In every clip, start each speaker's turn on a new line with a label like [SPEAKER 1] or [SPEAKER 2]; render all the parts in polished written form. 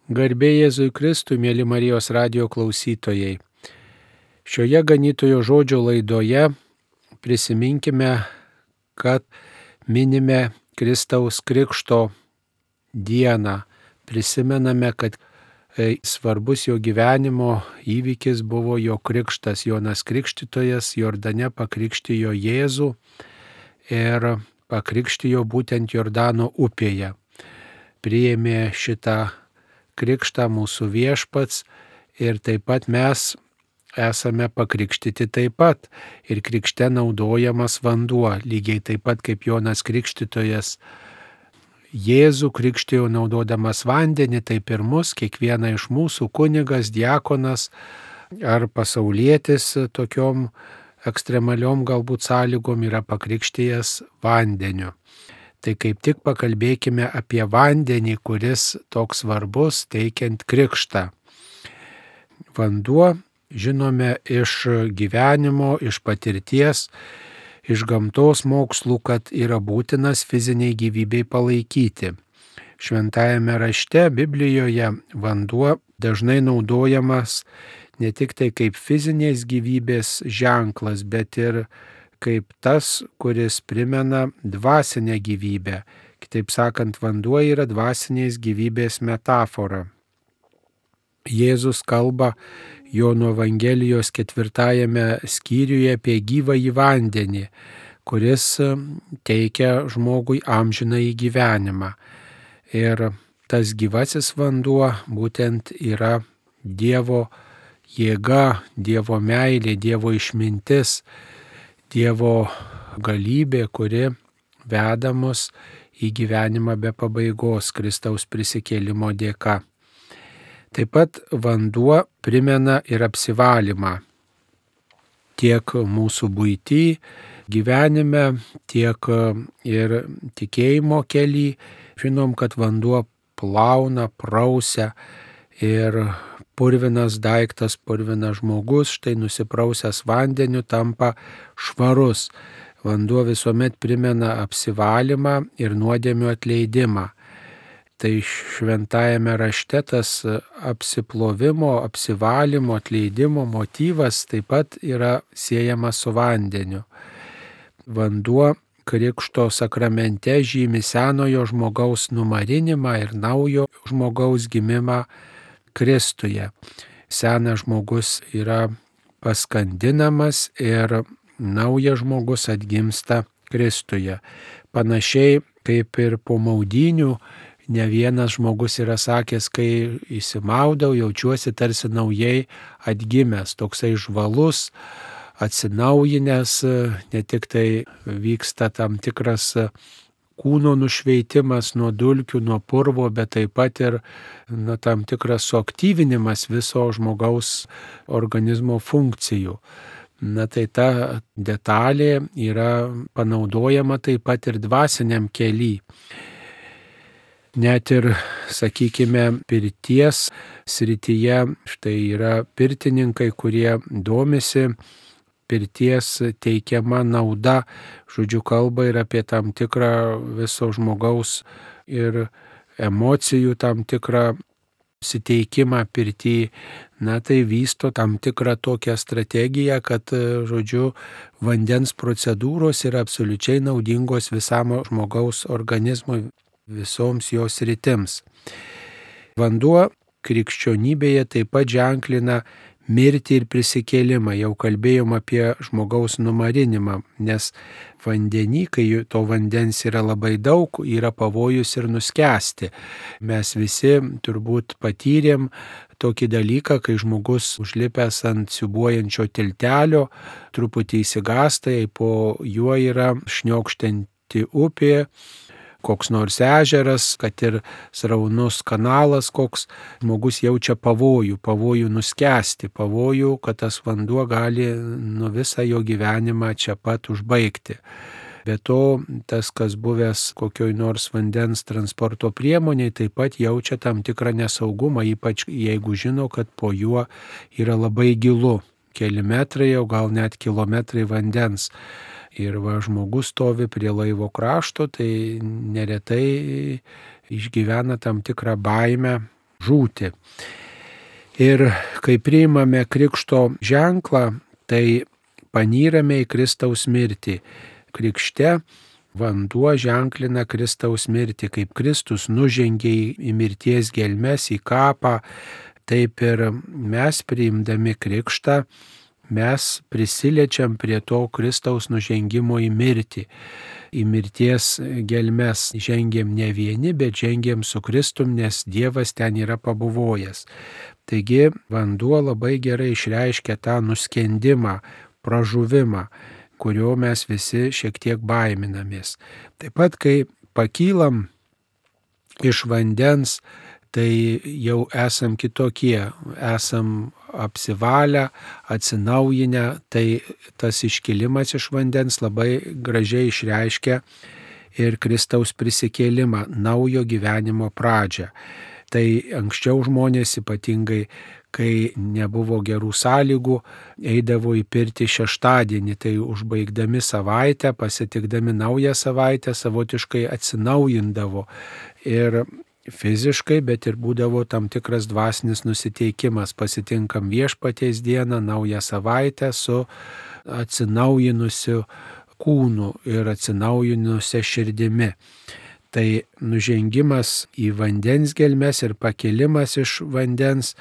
[SPEAKER 1] Garbė Jėzui Kristui, mėly Marijos radijo klausytojai. Šioje ganytojo žodžio laidoje prisiminkime, kad minime Kristaus Krikšto dieną. Prisimename, kad svarbus jo gyvenimo įvykis buvo jo krikštas. Jonas Krikštytojas Jordane pakrikštijo Jėzų ir pakrikštijo būtent Jordano upėje. Priėmė šitą krikštą mūsų Viešpats ir taip pat mes esame pakrikštyti taip pat. Ir krikšte naudojamas vanduo, lygiai taip pat kaip Jonas Krikštytojas Jėzų krikštijo naudodamas vandenį, taip ir mus, kiekvieną iš mūsų kunigas, diakonas ar pasaulietis tokiom ekstremaliom galbūt sąlygom yra pakrikštijęs vandeniu. Tai kaip tik pakalbėkime apie vandenį, kuris toks svarbus teikiant krikštą. Vanduo, žinome, iš gyvenimo, iš patirties, iš gamtos mokslų, kad yra būtinas fiziniai gyvybei palaikyti. Šventajame rašte, Biblijoje, vanduo dažnai naudojamas ne tik tai kaip fizinės gyvybės ženklas, bet ir kaip tas, kuris primena dvasinę gyvybę. Kitaip sakant, vanduo yra dvasinės gyvybės metafora. Jėzus kalba Jono Evangelijos 4 skyriuje apie gyvąjį vandenį, kuris teikia žmogui amžinąjį gyvenimą. Ir tas gyvasis vanduo būtent yra Dievo jėga, Dievo meilė, Dievo išmintis, Dievo galybė, kuri veda mus į gyvenimą be pabaigos Kristaus prisikėlimo dėka. Taip pat vanduo primena ir apsivalymą. Tiek mūsų buity, gyvenime, tiek ir tikėjimo kely. Žinom, kad vanduo plauna, prausia ir purvinas daiktas, purvinas žmogus, štai nusiprausęs vandeniu tampa švarus. Vanduo visuomet primena apsivalymą ir nuodėmių atleidimą. Tai šventajame rašte tas apsiplovimo, apsivalymo, atleidimo motyvas taip pat yra siejamas su vandeniu. Vanduo Krikšto sakramente žymi senojo žmogaus numarinimą ir naujo žmogaus gimimą Kristuje. Senas žmogus yra paskandinamas ir naujas žmogus atgimsta Kristuje. Panašiai kaip ir po maudynių, ne vienas žmogus yra sakęs, kai įsimaudau, jaučiuosi tarsi naujai atgimęs, toksai žvalus, atsinaujinęs, ne tik tai vyksta tam tikras kūno nušveitimas nuo dulkių, nuo purvo, bet taip pat ir tam tikras suaktyvinimas viso žmogaus organizmo funkcijų. Tai ta detalė yra panaudojama taip pat ir dvasiniam kely. Net ir, sakykime, pirties srityje, štai yra pirtininkai, kurie domisi pirties teikiama nauda, žodžiu, kalba ir apie tam tikrą viso žmogaus ir emocijų tam tikrą siteikimą pirty. Tai vysto tam tikrą tokią strategiją, kad, žodžiu, vandens procedūros yra absoliučiai naudingos visam žmogaus organizmui, visoms jos sritims. Vanduo krikščionybėje taip pat ženklina mirtį ir prisikėlimą. Jau kalbėjom apie žmogaus numarinimą, nes vandenį, kai to vandens yra labai daug, yra pavojus ir nuskęsti. Mes visi turbūt patyrėm tokį dalyką, kai žmogus užlipęs ant siūbuojančio tiltelio, truputį išsigąsta, jei po juo yra šniokštanti upė, koks nors ežeras, kad ir sraunus kanalas, koks žmogus jaučia pavojų nuskęsti, pavojų, kad tas vanduo gali visą jo gyvenimą čia pat užbaigti. Be to, tas, kas buvęs kokioj nors vandens transporto priemoniai, taip pat jaučia tam tikrą nesaugumą, ypač jeigu žino, kad po juo yra labai gilu, keli metrai, o gal net kilometrai vandens. Ir žmogus stovi prie laivo krašto, tai neretai išgyvena tam tikrą baimę žūti. Ir kai priimame krikšto ženklą, tai panyrame į Kristaus mirtį. Krikšte vanduo ženklina Kristaus mirtį, kaip Kristus nužengė į mirties gelmes, į kapą, taip ir mes priimdami krikštą, mes prisiliečiam prie to Kristaus nužengimo į mirtį. Į mirties gelmes žengėm ne vieni, bet žengėm su Kristum, nes Dievas ten yra pabuvojęs. Taigi vanduo labai gerai išreiškia tą nuskendimą, pražuvimą, kurio mes visi šiek tiek baiminamės. Taip pat, kai pakylam iš vandens, tai jau esam kitokie, esam apsivalę, atsinaujinę, tai tas iškilimas iš vandens labai gražiai išreiškia ir Kristaus prisikėlimą, naujo gyvenimo pradžią. Tai anksčiau žmonės, ypatingai kai nebuvo gerų sąlygų, eidavo į pirtį šeštadienį, tai užbaigdami savaitę, pasitikdami naują savaitę, savotiškai atsinaujindavo ir fiziškai, bet ir būdavo tam tikras dvasinis nusiteikimas. Pasitinkam Viešpaties dieną, naują savaitę su atsinaujinusiu kūnu ir atsinaujinusia širdimi. Tai nužengimas į vandens gelmes ir pakilimas iš vandens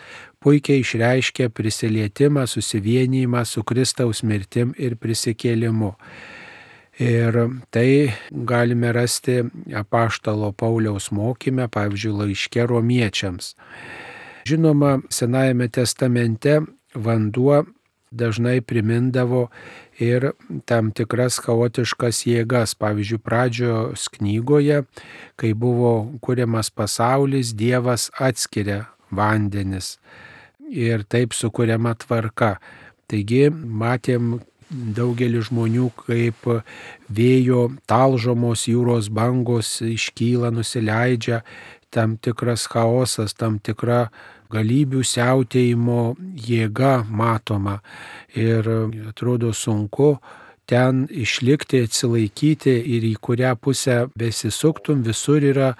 [SPEAKER 1] puikiai išreiškia prisilietimą, susivienijimą su Kristaus mirtim ir prisikėlimu. Ir tai galime rasti apaštalo Pauliaus mokyme, pavyzdžiui, laiške Romiečiams. Žinoma, Senajame testamente vanduo dažnai primindavo ir tam tikras chaotiškas jėgas. Pavyzdžiui, Pradžios knygoje, kai buvo kuriamas pasaulis, Dievas atskiria vandenis ir taip sukuriama tvarka. Taigi matėm daugelį žmonių, kaip vėjo talžomos jūros bangos iškyla, nusileidžia, tam tikras chaosas, tam tikra galybių siautėjimo jėga matoma ir atrodo sunku ten išlikti, atsilaikyti ir į kurią pusę besisuktum, visur yra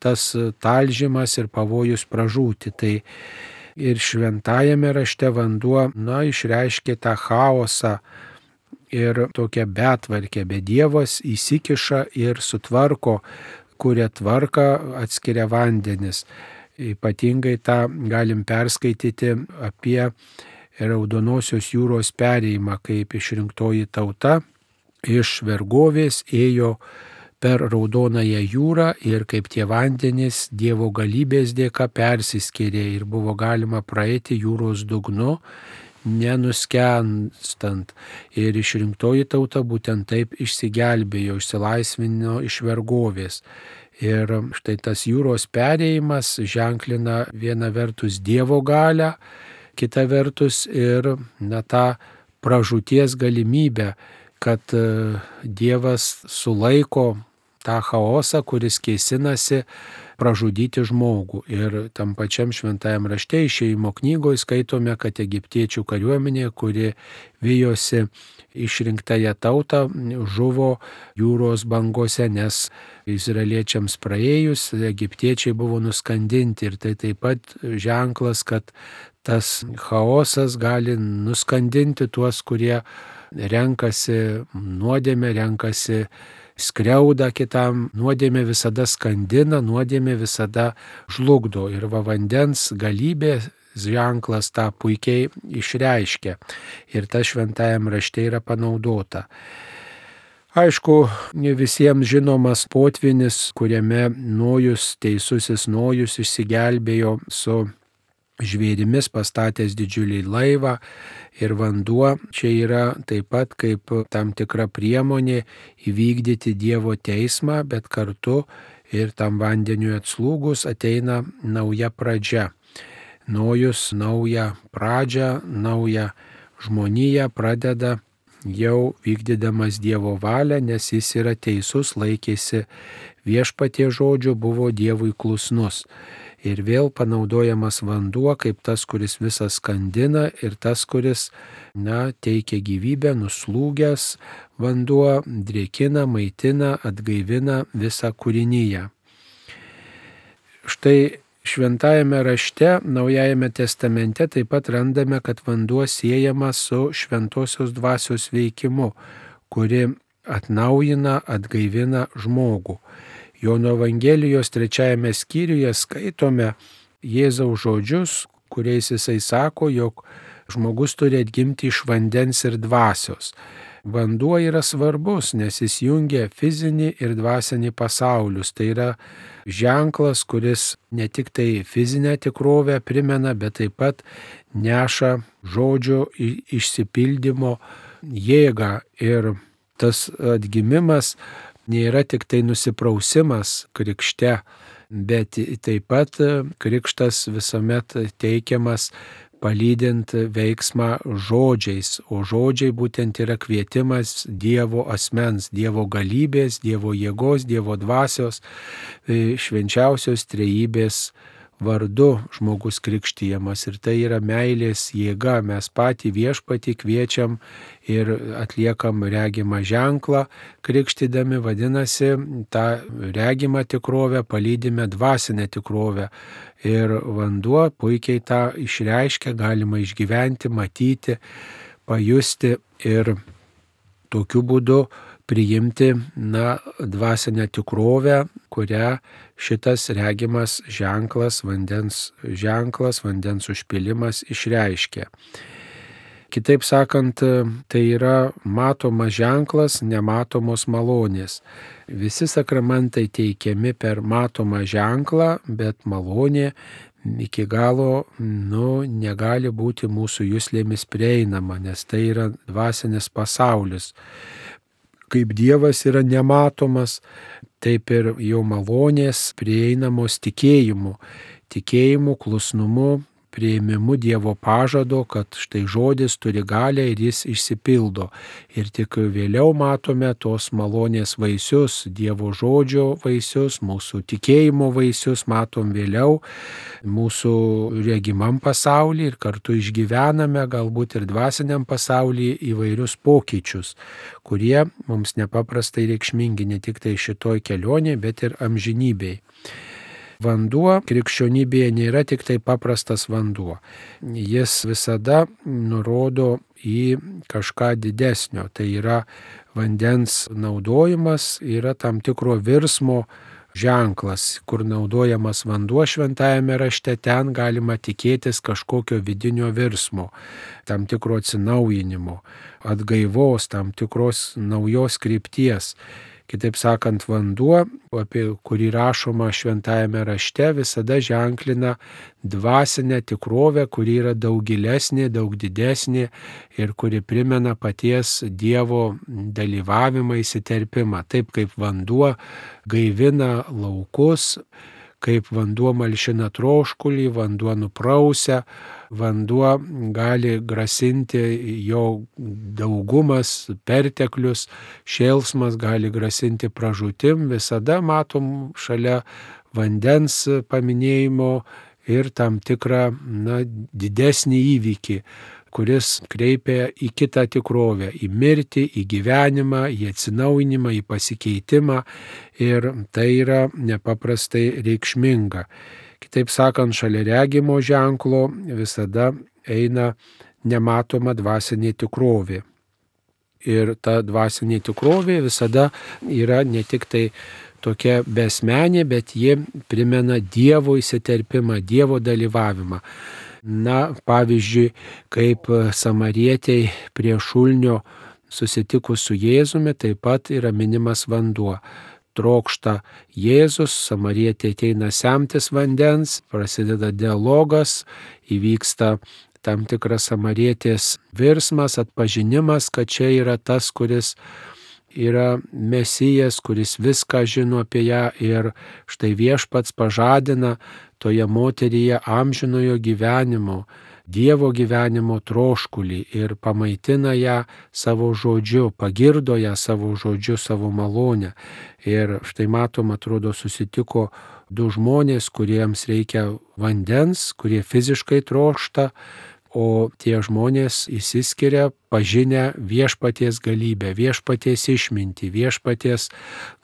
[SPEAKER 1] tas talžymas ir pavojus pražūti. Tai ir šventajame rašte vanduo, išreiškia tą chaosą ir tokią betvarkę, bet Dievas įsikiša ir sutvarko, kuria tvarką, atskiria vandenis. Ypatingai tą galim perskaityti apie Raudonosios jūros perėjimą, kaip išrinktoji tauta iš vergovės ėjo per Raudonąją jūrą ir kaip tie vandenys Dievo galybės dėka persiskyrė ir buvo galima praeiti jūros dugnu, nenuskenstant. Ir išrinktoji tauta būtent taip išsigelbėjo, išsilaisvino iš vergovės. Ir štai tas jūros perėjimas ženklina viena vertus Dievo galią, kita vertus ir tą pražūties galimybę, kad Dievas sulaiko tą chaosą, kuris kėsinasi pražudyti žmogų. Ir tam pačiam šventajam rašte Išėjimo knygoje skaitome, kad egiptiečių kariuomenė, kuri vijosi išrinktąją tautą, žuvo jūros bangose, nes izraeliečiams praėjus egiptiečiai buvo nuskandinti. Ir tai taip pat ženklas, kad tas chaosas gali nuskandinti tuos, kurie renkasi nuodėmę, renkasi skriaudą kitam. Nuodėmė visada skandina, nuodėmė visada žlugdo. Ir vandens galybė ženklas tą puikiai išreiškia. Ir tas šventajam rašte yra panaudota. Aišku, visiems žinomas potvynis, kuriame Nojus, teisusis Nojus, išsigelbėjo su žvėrimis pastatęs didžiulį laivą ir vanduo čia yra taip pat kaip tam tikra priemonė įvykdyti Dievo teismą, bet kartu ir tam vandeniui atslūgus ateina nauja pradžia. Nojus naują pradžią, naują žmoniją pradeda jau vykdydamas Dievo valią, nes jis yra teisus, laikėsi Viešpaties žodžio, buvo Dievui klusnus. Ir vėl panaudojamas vanduo kaip tas, kuris visą skandina ir tas, kuris teikia gyvybę, nuslūgęs vanduo drėkina, maitina, atgaivina visą kūriniją. Štai Šventajame rašte, Naujajame testamente taip pat randame, kad vanduo siejamas su šventosios dvasios veikimu, kuri atnaujina, atgaivina žmogų. Jono Evangelijos 3 skyriuje skaitome Jėzaus žodžius, kuriais jisai sako, jog žmogus turi atgimti iš vandens ir dvasios. Vanduo yra svarbus, nes jis jungia fizinį ir dvasinį pasaulius. Tai yra ženklas, kuris ne tik tai fizinę tikrovę primena, bet taip pat neša žodžio išsipildymo jėgą. Ir tas atgimimas nėra tik tai nusiprausimas krikšte, bet taip pat krikštas visuomet teikiamas palydint veiksmą žodžiais, o žodžiai būtent yra kvietimas Dievo asmens, Dievo galybės, Dievo jėgos, Dievo dvasios, švenčiausios trejybės vardu žmogus krikštijamas. Ir tai yra meilės jėga. Mes patį Viešpatį kviečiam ir atliekam regimą ženklą krikštydami, vadinasi, tą regimą tikrovę palydime dvasinę tikrovę. Ir vanduo puikiai tą išreiškia, galima išgyventi, matyti, pajusti ir tokiu būdu priimti dvasinę tikrovę, kurią šitas regimas ženklas, vandens užpilimas išreiškia. Kitaip sakant, tai yra matomas ženklas nematomos malonės. Visi sakramentai teikiami per matomą ženklą, bet malonė iki galo negali būti mūsų juslėmis prieinama, nes tai yra dvasinis pasaulis. Kaip Dievas yra nematomas, taip ir jo malonės prieinamos tikėjimu, klusnumu, priėmimu Dievo pažado, kad štai žodis turi galią ir jis išsipildo. Ir tik vėliau matome tos malonės vaisius, Dievo žodžio vaisius, mūsų tikėjimo vaisius matom vėliau mūsų regimam pasaulyje ir kartu išgyvename galbūt ir dvasiniam pasaulyje įvairius pokyčius, kurie mums nepaprastai reikšmingi ne tik tai šitoj kelionėje, bet ir amžinybėje. Vanduo krikščionybėje nėra tik tai paprastas vanduo. Jis visada nurodo į kažką didesnio. Tai yra vandens naudojimas, yra tam tikro virsmo ženklas, kur naudojamas vanduo šventajame rašte, ten galima tikėtis kažkokio vidinio virsmo, tam tikro atsinaujinimo, atgaivos, tam tikros naujos krypties. Kitaip sakant, vanduo, apie kurį rašoma šventajame rašte, visada ženklina dvasinę tikrovę, kuri yra daug gilesnė, daug didesnė ir kuri primena paties Dievo dalyvavimą, įsiterpimą. Taip kaip vanduo gaivina laukus, kaip vanduo malšina troškulį, vanduo nuprausia, vanduo gali grasinti, jo daugumas, perteklius, šėlsmas gali grasinti pražūtim. Visada matom šalia vandens paminėjimo ir tam tikrą didesnį įvykį, kuris kreipia į kitą tikrovę, į mirtį, į gyvenimą, į atsinaujinimą, į pasikeitimą ir tai yra nepaprastai reikšminga. Kitaip sakant, šalia regimo ženklo visada eina nematoma dvasinė tikrovė. Ir ta dvasinė tikrovė visada yra ne tik tai tokia besmenė, bet ji primena Dievo įsiterpimą, Dievo dalyvavimą. Pavyzdžiui, kaip samarietei prie šulinio susitikus su Jėzumi, taip pat yra minimas vanduo. Trokšta Jėzus, samarietė ateina semtis vandens, prasideda dialogas, įvyksta tam tikras samarietės virsmas, atpažinimas, kad čia yra tas, kuris yra Mesijas, kuris viską žino apie ją ir štai Viešpats pažadina toje moteryje amžinojo gyvenimo, Dievo gyvenimo troškulį ir pamaitina ją savo žodžiu, pagirdo ją savo žodžiu, savo malonę. Ir štai matom, atrodo, susitiko du žmonės, kuriems reikia vandens, kurie fiziškai trokšta, o tie žmonės išsiskiria pažinę viešpaties galybę, viešpaties išmintį, viešpaties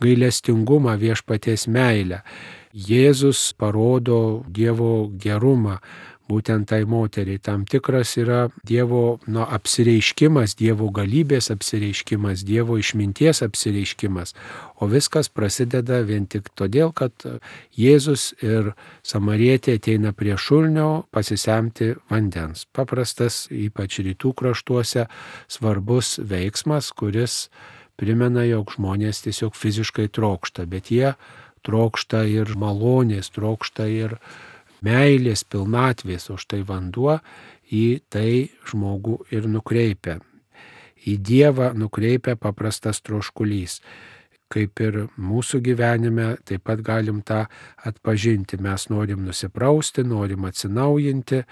[SPEAKER 1] gailestingumą, viešpaties meilę. Jėzus parodo Dievo gerumą būtent tai moteriai. Tam tikras yra Dievo apsireiškimas, Dievo galybės apsireiškimas, Dievo išminties apsireiškimas. O viskas prasideda vien tik todėl, kad Jėzus ir samarietė ateina prie šulinio pasisemti vandens. Paprastas, ypač rytų kraštuose, svarbus veiksmas, kuris primena, jog žmonės tiesiog fiziškai trokšta, bet jie trokšta ir malonės, trokšta ir meilės, pilnatvės, o štai vanduo į tai žmogų ir nukreipia. Į Dievą nukreipia paprastas troškulys. Kaip ir mūsų gyvenime, taip pat galim tą atpažinti. Mes norim nusiprausti, norim atsinaujinti,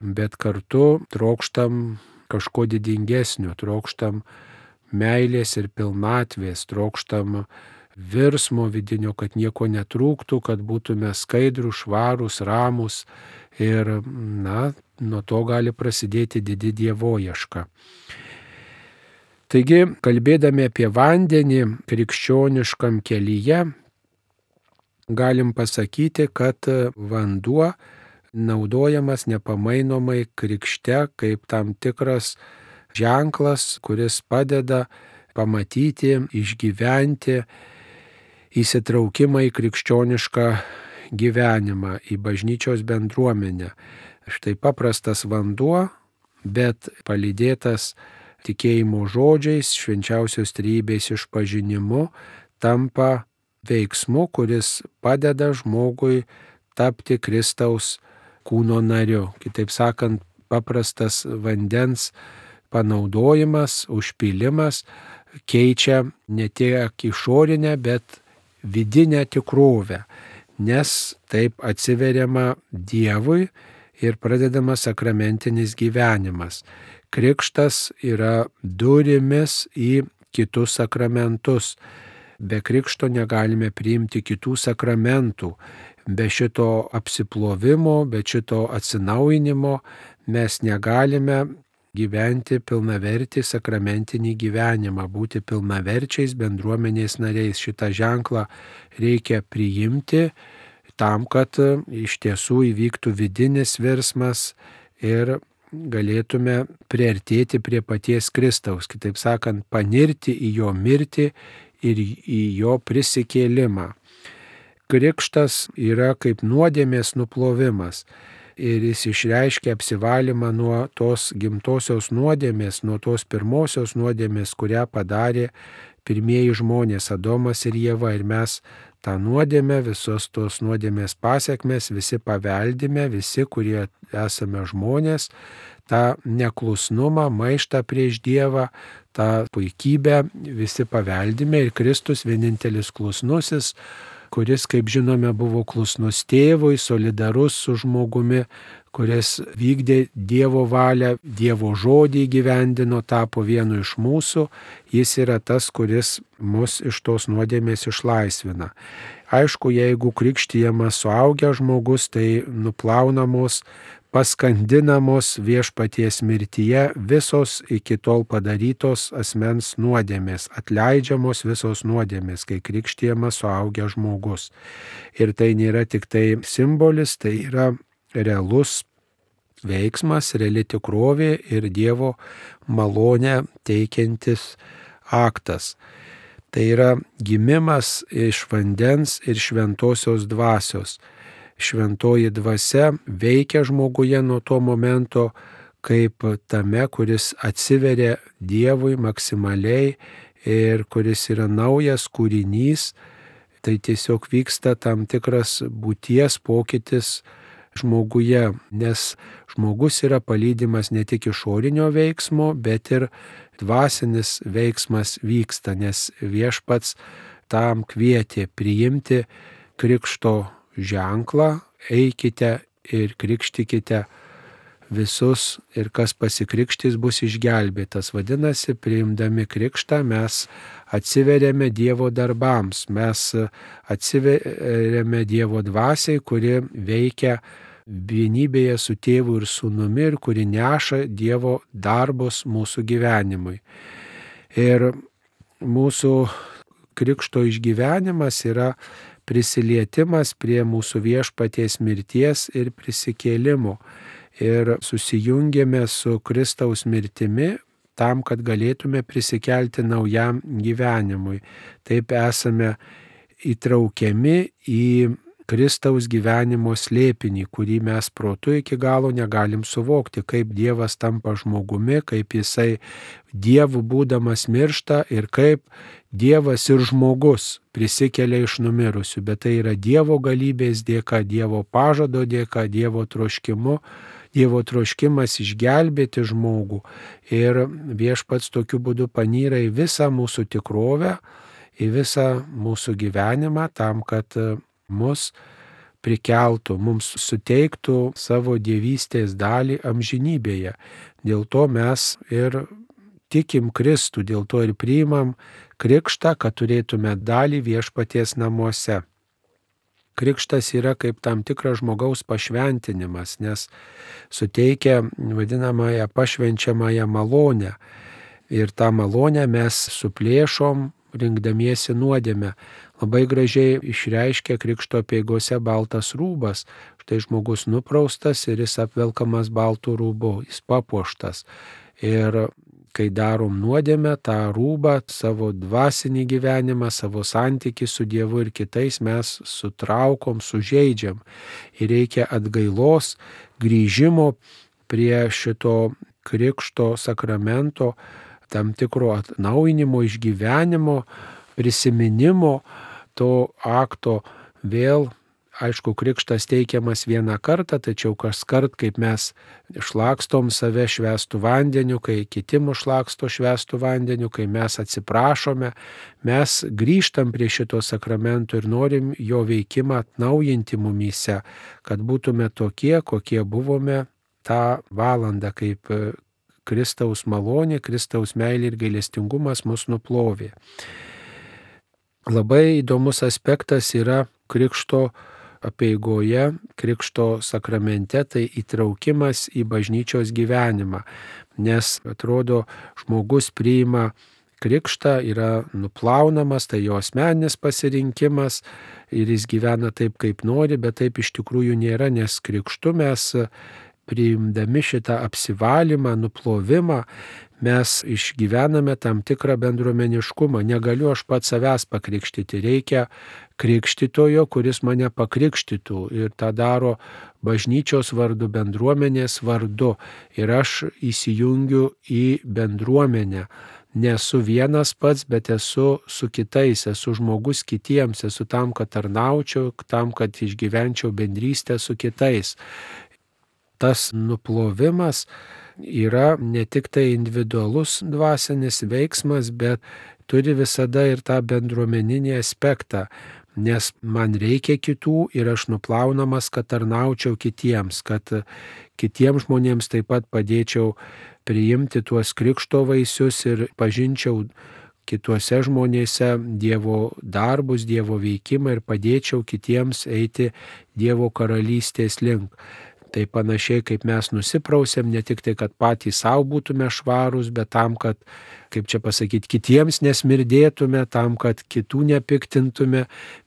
[SPEAKER 1] bet kartu trokštam kažko didingesnio, trokštam meilės ir pilnatvės, trokštam virsmo vidinio, kad nieko netrūktų, kad būtume skaidrūs, švarūs, ramūs ir, nuo to gali prasidėti didi dievoieška. Taigi, kalbėdami apie vandenį krikščioniškam kelyje, galim pasakyti, kad vanduo naudojamas nepamainomai krikšte kaip tam tikras ženklas, kuris padeda pamatyti, išgyventi įsitraukimą į krikščionišką gyvenimą, į bažnyčios bendruomenę. Štai paprastas vanduo, bet palydėtas tikėjimo žodžiais, švenčiausios trejybės išpažinimu, tampa veiksmu, kuris padeda žmogui tapti Kristaus kūno nariu. Kitaip sakant, paprastas vandens panaudojimas, užpylimas keičia ne tiek išorinę, bet vidinę tikrovę, nes taip atsiveriama Dievui ir pradedamas sakramentinis gyvenimas. Krikštas yra durimis į kitus sakramentus. Be krikšto negalime priimti kitų sakramentų. Be šito apsiplovimo, be šito atsinaujinimo mes negalime gyventi pilnavertį sakramentinį gyvenimą, būti pilnaverčiais bendruomenės nariais. Šitą ženklą reikia priimti tam, kad iš tiesų įvyktų vidinis virsmas ir galėtume priartėti prie paties Kristaus, kitaip sakant, panirti į jo mirtį ir į jo prisikėlimą. Krikštas yra kaip nuodėmės nuplovimas. Ir jis išreiškia apsivalymą nuo tos gimtosios nuodėmės, nuo tos pirmosios nuodėmės, kurią padarė pirmieji žmonės, Adomas ir Ieva. Ir mes tą nuodėmę, visos tos nuodėmės pasiekmes, visi paveldime, visi, kurie esame žmonės, tą neklusnumą, maištą prieš Dievą, tą puikybę visi paveldime. Ir Kristus vienintelis klusnusis, kuris, kaip žinome, buvo klusnus tėvui, solidarus su žmogumi, kuris vykdė Dievo valią, Dievo žodį įgyvendino, tapo vienu iš mūsų, jis yra tas, kuris mus iš tos nuodėmės išlaisvina. Aišku, jeigu krikštijamas suaugęs žmogus, tai nuplaunamos, paskandinamos viešpaties mirtyje visos iki tol padarytos asmens nuodėmės, atleidžiamos visos nuodėmės, kai krikštijamas suaugęs žmogus. Ir tai nėra tik tai simbolis, tai yra realus veiksmas, reali tikrovė ir Dievo malonę teikiantis aktas. Tai yra gimimas iš vandens ir šventosios dvasios. Šventoji dvasia veikia žmoguje nuo to momento kaip tame, kuris atsiveria Dievui maksimaliai ir kuris yra naujas kūrinys. Tai tiesiog vyksta tam tikras būties pokytis žmoguje, nes žmogus yra palydimas ne tik išorinio veiksmo, bet ir dvasinis veiksmas vyksta, nes viešpats tam kvietė priimti krikšto ženklą, eikite ir krikštykite visus ir kas pasikrikštys bus išgelbėtas. Vadinasi, priimdami krikštą mes atsiveriame Dievo darbams, mes atsiveriame Dievo dvasiai, kuri veikia vienybėje su Tėvu ir Sūnumi ir kuri neša Dievo darbus mūsų gyvenimui. Ir mūsų krikšto išgyvenimas yra prisilietimas prie mūsų Viešpaties mirties ir prisikėlimo. Ir susijungėme su Kristaus mirtimi tam, kad galėtume prisikelti naujam gyvenimui. Taip esame įtraukiami į Kristaus gyvenimo slėpinį, kurį mes protu iki galo negalim suvokti, kaip Dievas tampa žmogumi, kaip Jisai Dievu būdamas miršta ir kaip Dievas ir žmogus prisikelia iš numirusių. Bet tai yra Dievo galybės dėka, Dievo pažado dėka, Dievo troškimu. Dievo troškimas išgelbėti žmogų ir Viešpats tokiu būdu panyra į visą mūsų tikrovę, į visą mūsų gyvenimą tam, kad mus prikeltų, mums suteiktų savo dievystės dalį amžinybėje. Dėl to mes ir tikim Kristų, dėl to ir priimam krikštą, kad turėtume dalį Viešpaties namuose. Krikštas yra kaip tam tikras žmogaus pašventinimas, nes suteikia vadinamąją pašvenčiamąją malonę. Ir tą malonę mes suplėšom, rinkdamiesi nuodėmę. Labai gražiai išreiškia krikšto apeigose baltas rūbas. Štai žmogus nupraustas ir jis apvelkamas baltų rūbu, jis papuoštas. Ir kai darom nuodėmę, tą rūbą, savo dvasinį gyvenimą, savo santykį su Dievu ir kitais mes sutraukom, sužeidžiam. Ir reikia atgailos, grįžimo prie šito krikšto sakramento, tam tikro atnaujinimo, išgyvenimo, prisiminimo to akto vėl. Aišku, krikštas teikiamas vieną kartą, tačiau kaskart, kaip mes šlakstom save švęstų vandeniu, kai kiti mus šlaksto švęstų vandeniu, kai mes atsiprašome, mes grįžtam prie šito sakramento ir norim jo veikimą atnaujinti mumyse, kad būtume tokie, kokie buvome tą valandą, kaip Kristaus malonė, Kristaus meilė ir gailestingumas mus nuplovė. Labai įdomus aspektas yra krikšto apeigoje, krikšto sakramente, tai įtraukimas į bažnyčios gyvenimą, nes atrodo žmogus priima krikštą, yra nuplaunamas, tai jo asmeninis pasirinkimas ir jis gyvena taip, kaip nori, bet taip iš tikrųjų nėra, nes krikštu mes priimdami šitą apsivalymą, nuplovimą, mes išgyvename tam tikrą bendruomeniškumą. Negaliu aš pats savęs pakrikštyti, reikia krikštytojo, kuris mane pakrikštytų ir tą daro bažnyčios vardu, bendruomenės vardu ir aš įsijungiu į bendruomenę. Nesu vienas pats, bet esu su kitais, esu žmogus kitiems, esu tam, kad tarnaučiau, tam, kad išgyvenčiau bendrystę su kitais. Tas nuplovimas yra ne tik tai individualus dvasinis veiksmas, bet turi visada ir tą bendruomeninį aspektą, nes man reikia kitų ir aš nuplaunamas, kad tarnaučiau kitiems, kad kitiems žmonėms taip pat padėčiau priimti tuos krikšto vaisius ir pažinčiau kituose žmonėse Dievo darbus, Dievo veikimą ir padėčiau kitiems eiti Dievo karalystės link. Tai panašiai kaip mes nusiprausėm, ne tik tai, kad patys savo būtume švarūs, bet tam, kad, kaip čia pasakyti, kitiems nesmirdėtume, tam, kad kitų nepiktintume,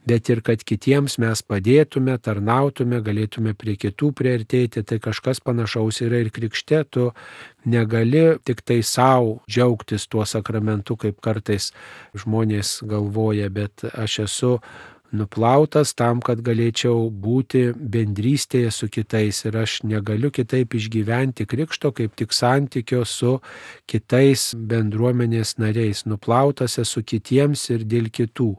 [SPEAKER 1] bet ir kad kitiems mes padėtume, tarnautume, galėtume prie kitų priartėti. Tai kažkas panašaus yra ir krikšte. Tu negali tik tai savo džiaugtis tuo sakramentu, kaip kartais žmonės galvoja, bet aš esu nuplautas tam, kad galėčiau būti bendrystėje su kitais ir aš negaliu kitaip išgyventi krikšto, kaip tik santykio su kitais bendruomenės nariais. Nuplautas esu kitiems ir dėl kitų.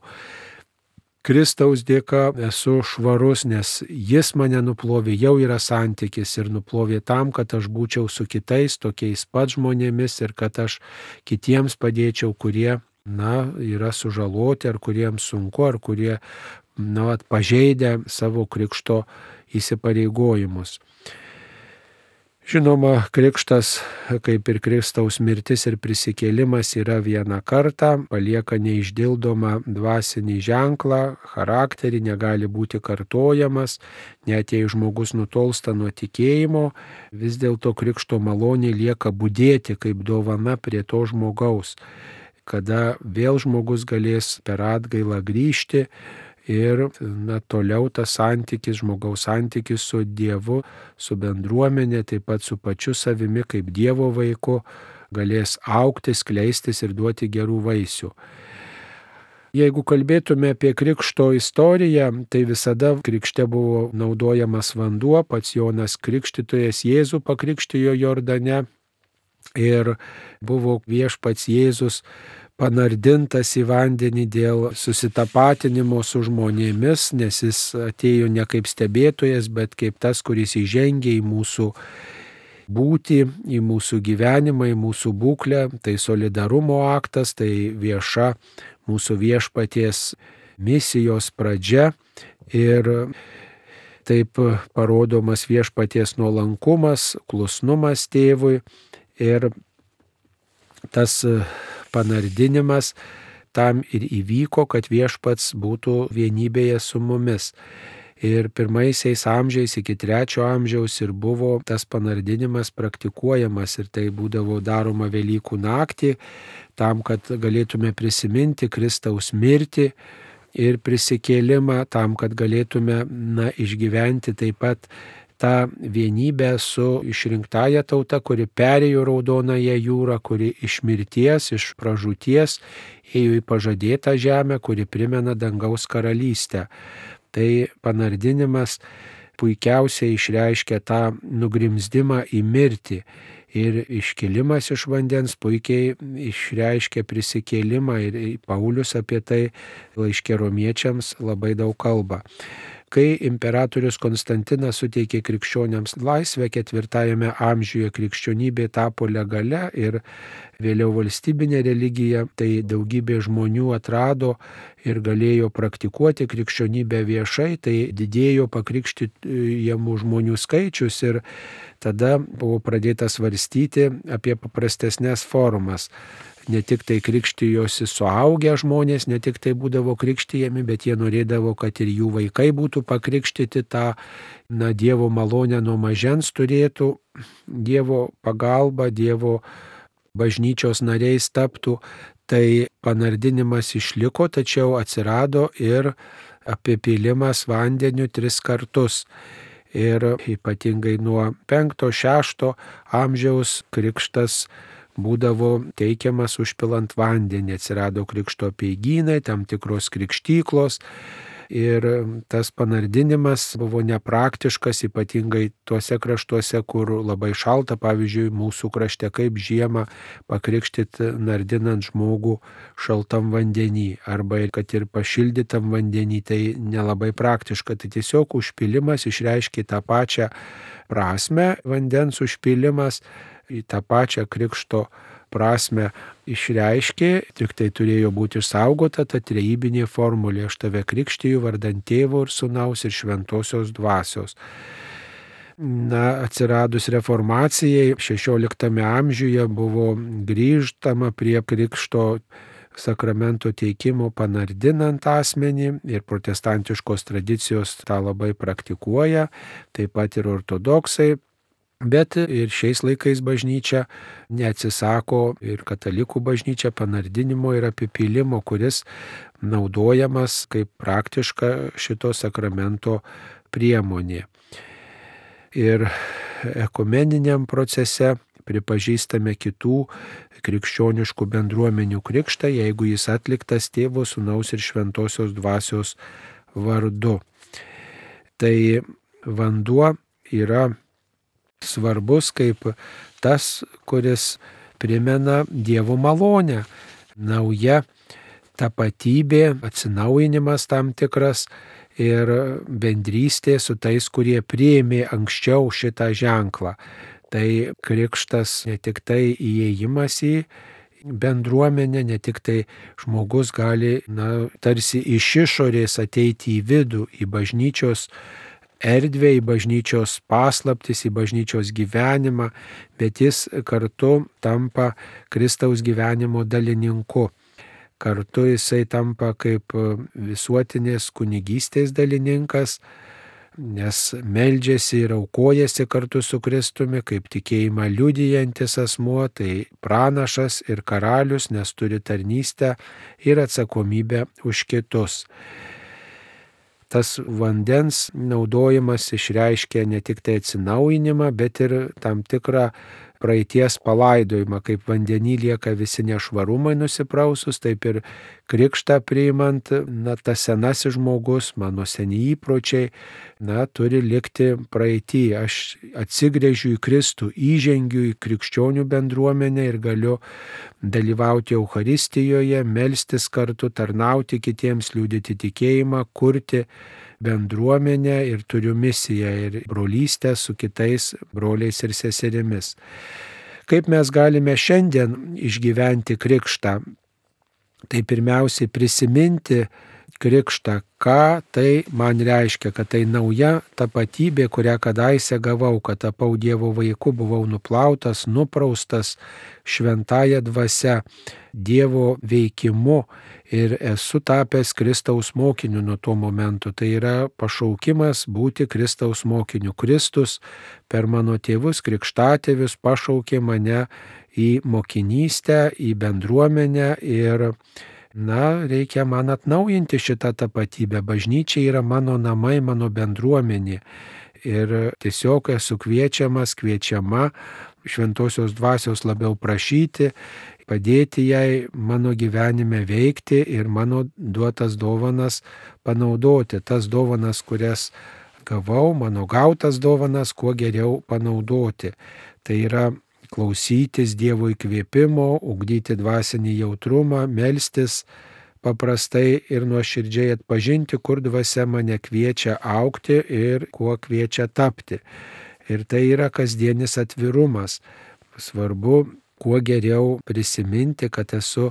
[SPEAKER 1] Kristaus dėka esu švarus, nes jis mane nuplovė, jau yra santykis ir nuplovė tam, kad aš būčiau su kitais tokiais pat žmonėmis ir kad aš kitiems padėčiau, kurie yra sužaloti, ar kuriems sunku, ar kurie pažeidę savo krikšto įsipareigojimus. Žinoma, krikštas, kaip ir Kristaus mirtis ir prisikėlimas, yra vieną kartą, palieka neišdildomą dvasinį ženklą, charakterį, negali būti kartojamas, net jei žmogus nutolsta nuo tikėjimo, vis dėlto krikšto malonė lieka budėti kaip dovana prie to žmogaus, kada vėl žmogus galės per atgailą grįžti. Ir toliau tas santykis, žmogaus santykis su Dievu, su bendruomenė, taip pat su pačiu savimi kaip Dievo vaiku, galės augti, skleistis ir duoti gerų vaisių. Jeigu kalbėtume apie krikšto istoriją, tai visada krikšte buvo naudojamas vanduo, pats Jonas Krikštytojas Jėzų pakrikštijo Jordane ir buvo viešpats Jėzus panardintas į vandenį dėl susitapatinimo su žmonėmis, nes jis atėjo ne kaip stebėtojas, bet kaip tas, kuris įžengė į mūsų būtį, į mūsų gyvenimą, į mūsų būklę. Tai solidarumo aktas, tai vieša mūsų viešpaties misijos pradžia ir taip parodomas viešpaties nuolankumas, klusnumas tėvui ir tas panardinimas tam ir įvyko, kad viešpats būtų vienybėje su mumis. Ir pirmaisiais amžiais iki 3 amžiaus ir buvo tas panardinimas praktikuojamas ir tai būdavo daroma Velykų naktį, tam, kad galėtume prisiminti Kristaus mirtį ir prisikėlimą, tam, kad galėtume išgyventi taip pat tą vienybę su išrinktąja tauta, kuri perėjo Raudonąją jūrą, kuri iš mirties, iš pražūties ėjo į pažadėtą žemę, kuri primena dangaus karalystę. Tai panardinimas puikiausiai išreiškia tą nugrimzdimą į mirtį ir iškilimas iš vandens puikiai išreiškia prisikėlimą ir Paulius apie tai laiške Romiečiams labai daug kalba. Kai imperatorius Konstantinas suteikė krikščioniams laisvę 4 amžiuje, krikščionybė tapo legalia ir vėliau valstybinė religija, tai daugybė žmonių atrado ir galėjo praktikuoti krikščionybę viešai, tai didėjo pakrikštyjamų žmonių skaičius ir tada buvo pradėta svarstyti apie paprastesnės formas. Ne tik tai krikštijosi suaugę žmonės, ne tik tai būdavo krikštijami, bet jie norėdavo, kad ir jų vaikai būtų pakrikštyti, tą Dievo malonę nuo mažens turėtų, Dievo pagalba, Dievo bažnyčios nariais taptų. Tai panardinimas išliko, tačiau atsirado ir apipylimas vandeniu 3 kartus. Ir ypatingai nuo 5-6 amžiaus krikštas būdavo teikiamas užpilant vandenį, atsirado krikšto apeigynai, tam tikros krikštyklos ir tas panardinimas buvo nepraktiškas, ypatingai tuose kraštuose, kur labai šalta, pavyzdžiui, mūsų krašte kaip žiemą pakrikštyti nardinant žmogų šaltam vandenį, arba kad ir pašildytam vandenį, tai nelabai praktiška, tai tiesiog užpilimas išreiškia tą pačią prasme, vandens užpilimas, į tą pačią krikšto prasme išreiškė, tik tai turėjo būti išsaugota ta trejybinė formulė: aš tave krikštiju vardan Tėvo ir Sūnaus ir Šventosios Dvasios. Atsiradus reformacijai 16 amžiuje buvo grįžtama prie krikšto sakramento teikimo panardinant asmenį ir protestantiškos tradicijos tą labai praktikuoja, taip pat ir ortodoksai. Bet ir šiais laikais bažnyčia neatsisako ir katalikų bažnyčia panardinimo ir apipylimo, kuris naudojamas kaip praktiška šito sakramento priemonė. Ir ekumeniniam procese pripažįstame kitų krikščioniškų bendruomenių krikštą, jeigu jis atliktas Tėvo, Sūnaus ir Šventosios Dvasios vardu. Tai vanduo yra svarbus kaip tas, kuris primena Dievo malonę, nauja tapatybė, atsinaujinimas tam tikras ir bendrystė su tais, kurie priėmė anksčiau šitą ženklą. Tai krikštas ne tik tai įėjimas į bendruomenę, ne tik tai žmogus gali tarsi iš išorės ateiti į vidų, į bažnyčios erdvę, į bažnyčios paslaptis, į bažnyčios gyvenimą, bet jis kartu tampa Kristaus gyvenimo dalininku. Kartu jisai tampa kaip visuotinės kunigystės dalininkas, nes meldžiasi ir aukojasi kartu su Kristumi, kaip tikėjimą liudijantis asmuo, tai pranašas ir karalius, nes turi tarnystę ir atsakomybę už kitus. Tas vandens naudojimas išreiškia ne tik tai atsinaujinimą, bet ir tam tikrą praeities palaidojimą, kaip vandenį lieka visi nešvarumai nusiprausus, taip ir krikštą priimant, tas senasis žmogus, mano seni įpročiai, turi likti praeitį. Aš atsigręžiu į Kristų, įžengiu į krikščionių bendruomenę ir galiu dalyvauti Eucharistijoje, melstis kartu, tarnauti kitiems, liudyti tikėjimą, kurti bendruomenę ir turiu misiją ir brolystę su kitais broliais ir seserimis. Kaip mes galime šiandien išgyventi krikštą? Tai pirmiausiai prisiminti krikštą, ką tai man reiškia, kad tai nauja tapatybė, kurią kadaise gavau, kad tapau Dievo vaiku, buvau nuplautas, nupraustas šventąja dvasia, Dievo veikimu ir esu tapęs Kristaus mokiniu nuo to momento. Tai yra pašaukimas būti Kristaus mokiniu. Kristus per mano tėvus, krikštatėvius pašaukė mane į mokinystę, į bendruomenę ir reikia man atnaujinti šitą tapatybę. Bažnyčia yra mano namai, mano bendruomenė. Ir tiesiog esu kviečiama šventosios dvasios labiau prašyti, padėti jai mano gyvenime veikti ir mano duotas dovanas panaudoti. Tas dovanas, kurias gavau, mano gautas dovanas, kuo geriau panaudoti. Tai yra klausytis Dievo įkvėpimo, ugdyti dvasinį jautrumą, melstis paprastai ir nuoširdžiai atpažinti, kur dvasia mane kviečia augti ir kuo kviečia tapti. Ir tai yra kasdienis atvirumas. Svarbu kuo geriau prisiminti, kad esu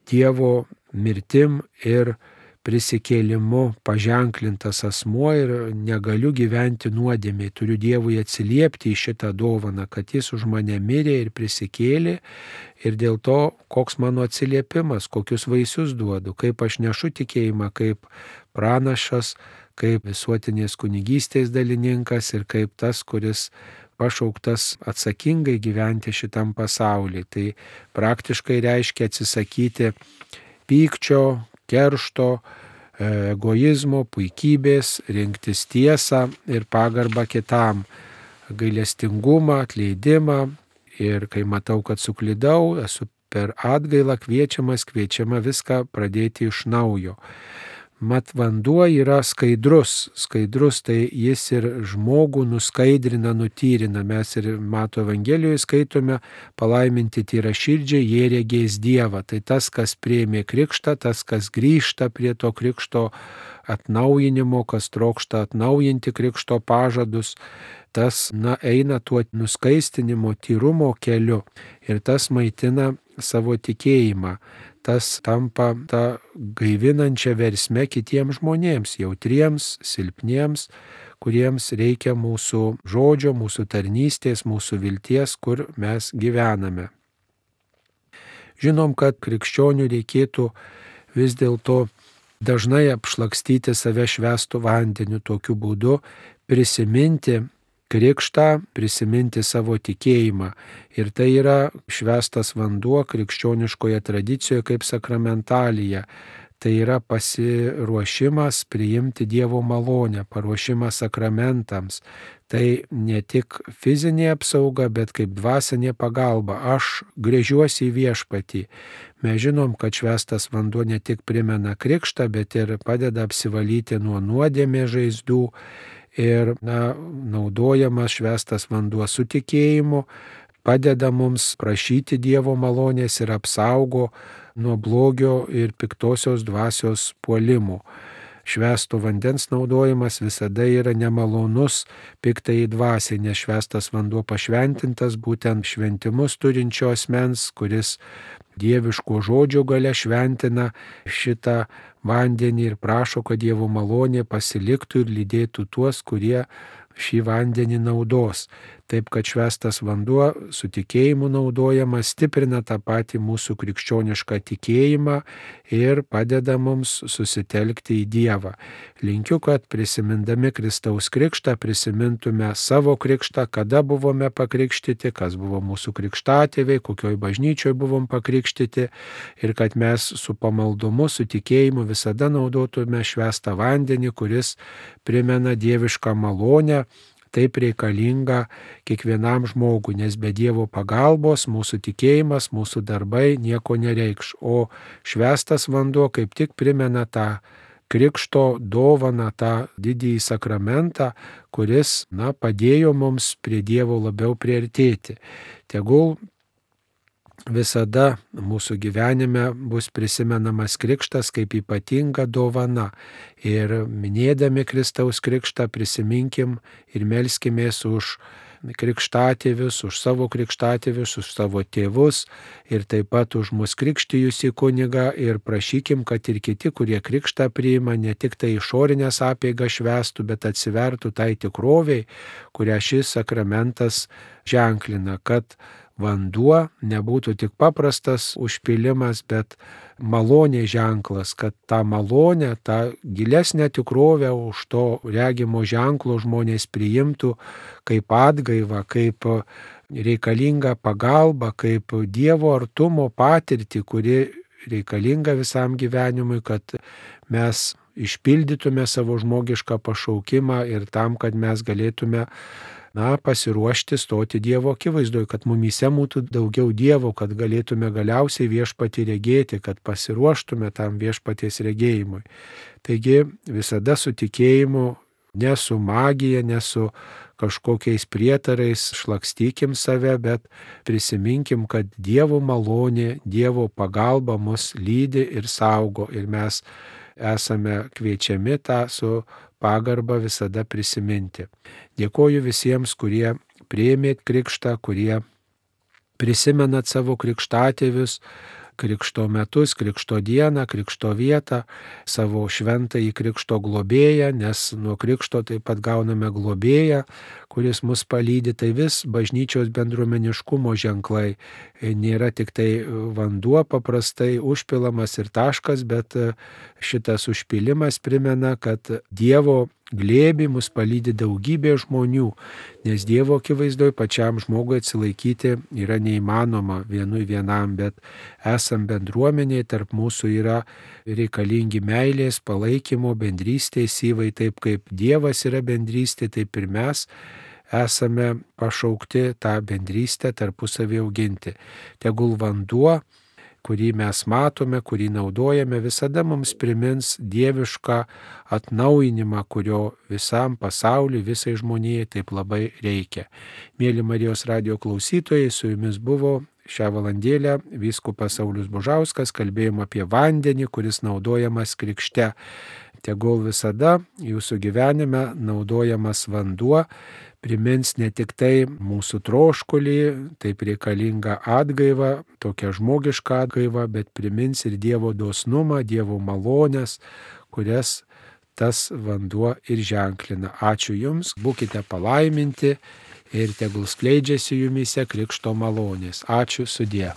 [SPEAKER 1] Dievo mirtim ir prisikėlimu paženklintas asmuo ir negaliu gyventi nuodėmėj. Turiu Dievui atsiliepti į šitą dovaną, kad jis už mane mirė ir prisikėlė ir dėl to koks mano atsiliepimas, kokius vaisius duodu, kaip aš nešu tikėjimą, kaip pranašas, kaip visuotinės kunigystės dalininkas ir kaip tas, kuris pašauktas atsakingai gyventi šitam pasaulyje. Tai praktiškai reiškia atsisakyti pykčio, keršto, egoizmo, puikybės, rinktis tiesą ir pagarbą kitam, gailestingumą, atleidimą ir kai matau, kad suklydau, esu per atgailą kviečiama viską pradėti iš naujo. Mat vanduo yra skaidrus tai jis ir žmogų nuskaidrina, nutyrina. Mes ir Mato Evangelijoje skaitome, palaiminti tyraširdžiai, jie regės Dievą. Tai tas, kas priėmė krikštą, tas, kas grįžta prie to krikšto atnaujinimo, kas trokšta atnaujinti krikšto pažadus, tas eina tuo nuskaistinimo, tyrumo keliu ir tas maitina savo tikėjimą. Tas tampa tą gaivinančią versmę kitiems žmonėms, jautriems, silpniems, kuriems reikia mūsų žodžio, mūsų tarnystės, mūsų vilties, kur mes gyvename. Žinom, kad krikščionių reikėtų vis dėlto dažnai apšlakstyti save švęstu vandeniu, tokiu būdu prisiminti krikštą, prisiminti savo tikėjimą. Ir tai yra švęstas vanduo krikščioniškoje tradicijoje kaip sakramentalija. Tai yra pasiruošimas priimti Dievo malonę, paruošimas sakramentams. Tai ne tik fizinė apsauga, bet kaip dvasinė pagalba. Aš gręžiuosi į Viešpatį. Mes žinom, kad švęstas vanduo ne tik primena krikštą, bet ir padeda apsivalyti nuo nuodėmės žaizdų. Ir naudojamas švęstas vanduo su tikėjimu, padeda mums prašyti Dievo malonės ir apsaugo nuo blogio ir piktosios dvasios puolimų. švęsto vandens naudojimas visada yra nemalonus piktai dvasiai, nes švęstas vanduo pašventintas būtent šventimus turinčio asmens, kuris dieviško žodžio gale šventina šitą vandenį ir prašo, kad Dievo malonė pasiliktų ir lydėtų tuos, kurie šį vandenį naudos. Taip, kad švęstas vanduo su tikėjimu naudojamas stiprina tą patį mūsų krikščionišką tikėjimą ir padeda mums susitelkti į Dievą. Linkiu, kad prisimindami Kristaus krikštą prisimintume savo krikštą, kada buvome pakrikštyti, kas buvo mūsų krikštatėviai, kokioj bažnyčioj buvom pakrikštyti ir kad mes su pamaldumu, su tikėjimu visada naudotume švęstą vandenį, kuris primena dievišką malonę, taip reikalinga kiekvienam žmogui, nes be Dievo pagalbos mūsų tikėjimas, mūsų darbai nieko nereikš, o švęstas vanduo kaip tik primena tą krikšto dovaną, tą didįjį sakramentą, kuris, padėjo mums prie Dievo labiau priartėti. Tegul visada mūsų gyvenime bus prisimenamas krikštas kaip ypatinga dovana. Ir minėdami Kristaus krikštą prisiminkim ir melskimės už krikštatėvius, už savo krikštatėvius, už savo tėvus ir taip pat už mus krikštijusi kunigą ir prašykim, kad ir kiti, kurie krikštą priima, ne tik tai išorinės apeigas švęstų, bet atsivertų tai tikroviai, kurią šis sakramentas ženklina, kad vanduo nebūtų tik paprastas užpilimas, bet malonė ženklas, kad tą malonę, tą gilesnę tikrovę už to regimo ženklo žmonės priimtų kaip atgaivą, kaip reikalingą pagalbą, kaip Dievo artumo patirtį, kuri reikalinga visam gyvenimui, kad mes išpildytume savo žmogišką pašaukimą ir tam, kad mes galėtume pasiruošti stoti Dievo akivaizdoje, kad mumyse būtų daugiau Dievo, kad galėtume galiausiai viešpatį regėti, kad pasiruoštume tam viešpaties regėjimui. Taigi visada su tikėjimu, ne su magija, ne su kažkokiais prietarais šlakstykim save, bet prisiminkim, kad Dievo malonė, Dievo pagalba mus lydi ir saugo ir mes esame kviečiami tą su pagarbą visada prisiminti. Dėkoju visiems, kurie priėmėt krikštą, kurie prisimenat savo krikštatėvius, krikšto metus, krikšto dieną, krikšto vietą, savo šventąjį krikšto globėją, nes nuo krikšto taip pat gauname globėją, kuris mus palydi. Tai vis bažnyčios bendruomeniškumo ženklai. Nėra tik tai vanduo paprastai užpilamas ir taškas, bet šitas užpilimas primena, kad Dievo glėbį mus palydi daugybė žmonių, nes Dievo akivaizdoje pačiam žmogui atsilaikyti yra neįmanoma vienam, bet esam bendruomenėje, tarp mūsų yra reikalingi meilės, palaikymo, bendrystės įvai, taip kaip Dievas yra bendrystė, taip ir mes esame pašaukti tą bendrystę tarpusavį auginti. Tegul vanduo, kurį mes matome, kurį naudojame, visada mums primins dievišką atnaujinimą, kurio visam pasauliu, visai žmonijai taip labai reikia. Mėly Marijos radijo klausytojai, su jumis buvo šią valandėlę vyskupas Saulius Bužauskas, kalbėjom apie vandenį, kuris naudojamas krikšte. Tegul visada jūsų gyvenime naudojamas vanduo primins ne tik tai mūsų troškulį, taip reikalingą atgaivą, tokią žmogišką atgaivą, bet primins ir Dievo dosnumą, Dievo malonės, kurias tas vanduo ir ženklina. Ačiū Jums, būkite palaiminti ir tegul skleidžiasi jumyse krikšto malonės. Ačiū, sudie.